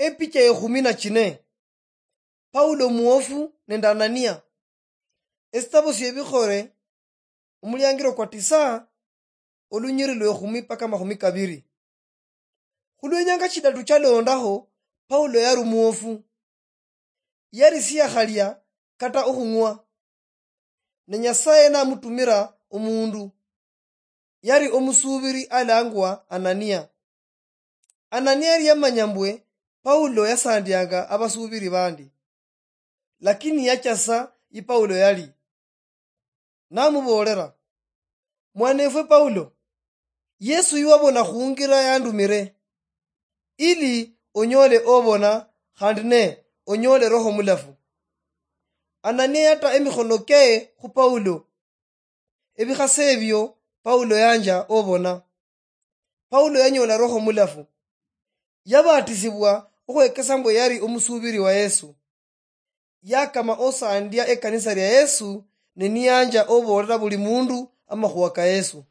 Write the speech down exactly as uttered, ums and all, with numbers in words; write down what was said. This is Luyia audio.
Epicha yekhumi na chine. Paulo omuwofu nende Anania. Esitabo siebikhole, omuliangiro kwa tisa, olunyiri lwekhumi paka amakhumi kabiri. Khulwenyanga chidatu chalondaho, Paulo yali omuwofu. Yali siyakhalia kata okhung'wa. Ne Nyasaye namutumira omundu. Yali omusubiri alangwa Anania. Anania yali yamanya mbwe Paulo yasandianga abasubiri bandi. Lakini yachasa yi Paulo yali. Namuboolera, "Mwanefwe Paulo, Yesu yiwabona khungira yandumire, ili onyole obona khandi ne onyole Roho Mulafu." Anania yata emikhono keye khu Paulo. Ebikhase ebio Paulo yanja obona. Paulo yanyola Roho Mulafu. Yabatisibwa okhwekesa mbwe yali omusubiri wa Yesu. Yakama osandia ekanisa lia Yesu, ne niyanja oboolera buli mundu amakhuwa ka Yesu.